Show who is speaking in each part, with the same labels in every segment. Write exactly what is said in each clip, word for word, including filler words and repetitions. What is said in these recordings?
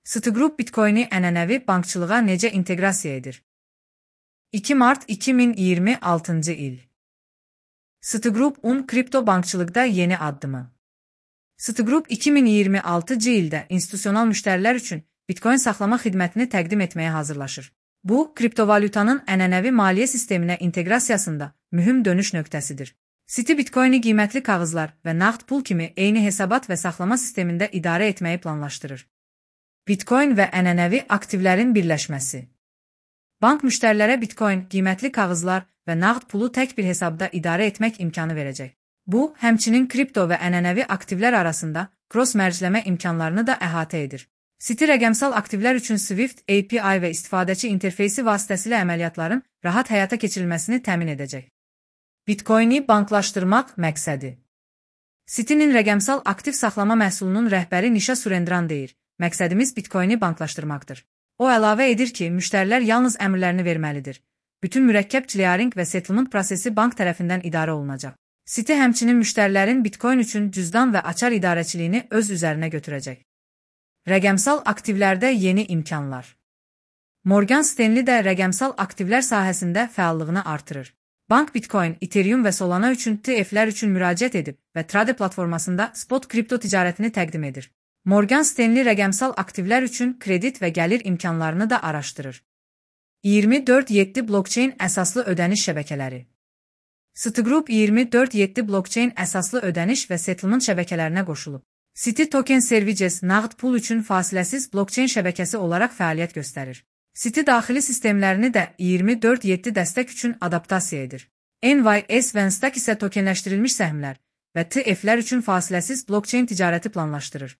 Speaker 1: Citigroup Bitcoin-i ənənəvi bankçılığa necə inteqrasiya edir? iki mart iki min iyirmi altıncı il. Citigroup-un kripto bankçılıqda yeni addımı. Citigroup iki min iyirmi altıncı ildə institusional müştərilər üçün Bitcoin saxlama xidmətini təqdim etməyə hazırlaşır. Bu, kriptovalyutanın ənənəvi maliyyə sisteminə inteqrasiyasında mühüm dönüş nöqtəsidir. Citi Bitcoin-i qiymətli kağızlar və nağd pul kimi eyni hesabat və saxlama sistemində idarə etməyi planlaşdırır. Bitcoin və ənənəvi aktivlərin birləşməsi. Bank müştərilərə Bitcoin, qiymətli kağızlar və nağd pulu tək bir hesabda idarə etmək imkanı verəcək. Bu, həmçinin kripto və ənənəvi aktivlər arasında cross-mərcləmə imkanlarını da əhatə edir. Citi rəqəmsal aktivlər üçün Swift A P I və istifadəçi interfeysi vasitəsilə əməliyyatların rahat həyata keçirilməsini təmin edəcək. Bitcoin-i banklaşdırmaq məqsədi. Citinin rəqəmsal aktiv saxlama məhsulunun rəhbəri Nisha Surendran deyir, məqsədimiz Bitcoin-i banklaşdırmaqdır. O əlavə edir ki, müştərilər yalnız əmrlərini verməlidir. Bütün mürəkkəb clearing və settlement prosesi bank tərəfindən idarə olunacaq. Citi həmçinin müştərilərin Bitcoin üçün cüzdan və açar idarəçiliyini öz üzərinə götürəcək. Rəqəmsal aktivlərdə yeni imkanlar. Morgan Stanley də rəqəmsal aktivlər sahəsində fəallığını artırır. Bank Bitcoin, Ethereum və Solana üçün T F-lər üçün müraciət edib və Trade platformasında spot kripto ticarətini təqdim edir. Morgan Stanley rəqəmsal aktivlər üçün kredit və gəlir imkanlarını da araşdırır. iyirmi dörd yeddi blockchain əsaslı ödəniş şəbəkələri. Citigroup iyirmi dörd yeddi blockchain əsaslı ödəniş və settlement şəbəkələrinə qoşulub. Citi Token Services nağd pul üçün fasiləsiz blockchain şəbəkəsi olaraq fəaliyyət göstərir. Citi daxili sistemlərini də iyirmi dörd yeddi dəstək üçün adaptasiya edir. N Y S və Nasdaq isə tokenləşdirilmiş səhmlər və T F-lər üçün fasiləsiz blockchain ticarəti planlaşdırır.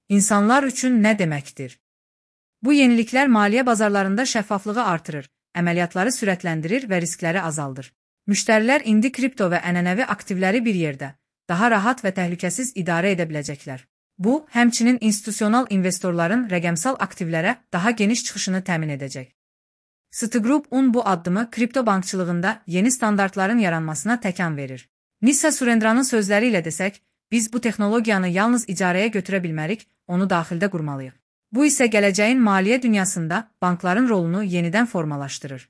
Speaker 1: İnsanlar üçün nə deməkdir? Bu yeniliklər maliyyə bazarlarında şəffaflığı artırır, əməliyyatları sürətləndirir və riskləri azaldır. Müştərilər indi kripto və ənənəvi aktivləri bir yerdə, daha rahat və təhlükəsiz idarə edə biləcəklər. Bu, həmçinin institusional investorların rəqəmsal aktivlərə daha geniş çıxışını təmin edəcək. Citigroup-un bu addımı kripto bankçılığında yeni standartların yaranmasına təkan verir. Nisha Surendranın sözləri ilə desək, biz bu texnologiyanı yalnız icarəyə götürə bilmərik, onu daxildə qurmalıyıq. Bu isə gələcəyin maliyyə dünyasında bankların rolunu yenidən formalaşdırır.